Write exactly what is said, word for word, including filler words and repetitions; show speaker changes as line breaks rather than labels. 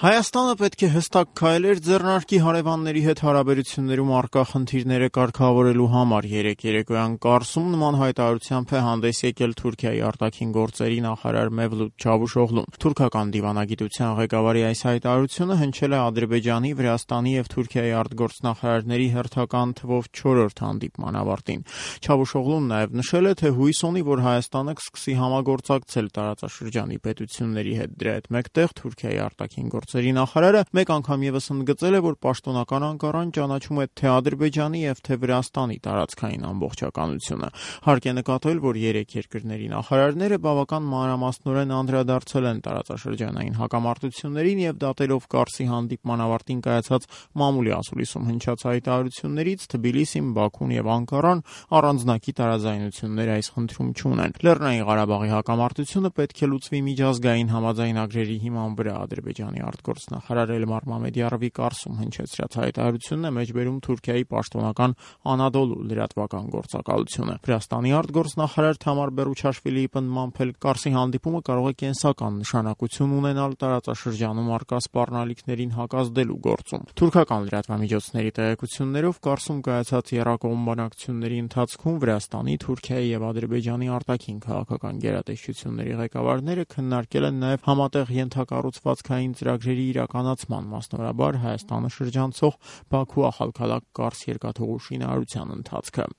Հայաստանը պետք է հստակ քայլեր ձեռնարկի հարևանների հետ հարաբերություններում առկա խնդիրները կարգավորելու համար։ Երեկ երեկոյան Կարսում նման հայտարարությամբ է հանդես եկել Թուրքիայի արտաքին գործերի նախարար Մևլութ Չավուշօղլուն։ Թուրքական դիվանագիտության ղեկավարի այս հայտարարությունը հնչել է Ադրբեջանի, Վրաստանի եւ Թուրքիայի արտգործնախարարների հերթական թվով չորրորդ հանդիպման ավարտին։ Չավուշօղլուն նաեւ նշել է, թե հույս ունի, որ Հայաստանը կսկսի համագործակցել տարածաշրջանի պետությունների հետ։ Դրա հետ մեկտեղ Թուրքիայի արտաքին գործերի նախարարը մեկ անգամ եւս ընդգծել է, որ պաշտոնական Անկարան ճանաչում է թե Ադրբեջանի եւ թե Վրաստանի տարածքային ամբողջականությունը։ Հարկ է նկատել, որ երեք երկրների նախարարները բավական մանրամասնորեն անդրադարձել են տարածաշրջանային հակամարտություններին եւ դատելով Կարսի հանդիպման ավարտին կայացած մամուլի ասուլիսում հնչած հայտարարություններից Թբիլիսին, Բաքուն եւ Անկարան առանձնակի տարաձայնություններ այս խնդրում չունեն։ Լեռնային Ղարաբաղի հակամարտությունը պետք է լուծվի միջազգային համաձայնագրերի հիման վրա։ Ադրբեջանի արտգործնախարար Էլմար Մամեդյարովի Կարսում հնչեցրած հայտարարությունն է մեջբերում Թուրքիայի պաշտոնական Անադոլու լրատվական գործակալությունը։ Վրաստանի արտգործնախարար Թամար Բերուչաշվիլիի պնդմամբ էլ Կարսի հանդիպումը կարող է կենսական նշանակություն ունենալ տարածաշրջանում առկա սպառնալիքներին հակազդելու գործում։ Թուրքական լրատվամիջոցների տեղեկություններով Կարսում կայացած եռակողմ բանակցությունների ընթացքում Վրաստանի, Թուրքիայի եւ Ադրբեջանի արտաքին քաղաքական գերատեսչությունների ղեկավարները քննարկել են նաեւ համատեղ ենթակառուցվածքային ծրագրերի իրականացման, մասնավորաբար Հայաստանը շրջանցող Բաքու-Ախալքալակ-Կարս երկաթուղու շինարարության ընթացքը։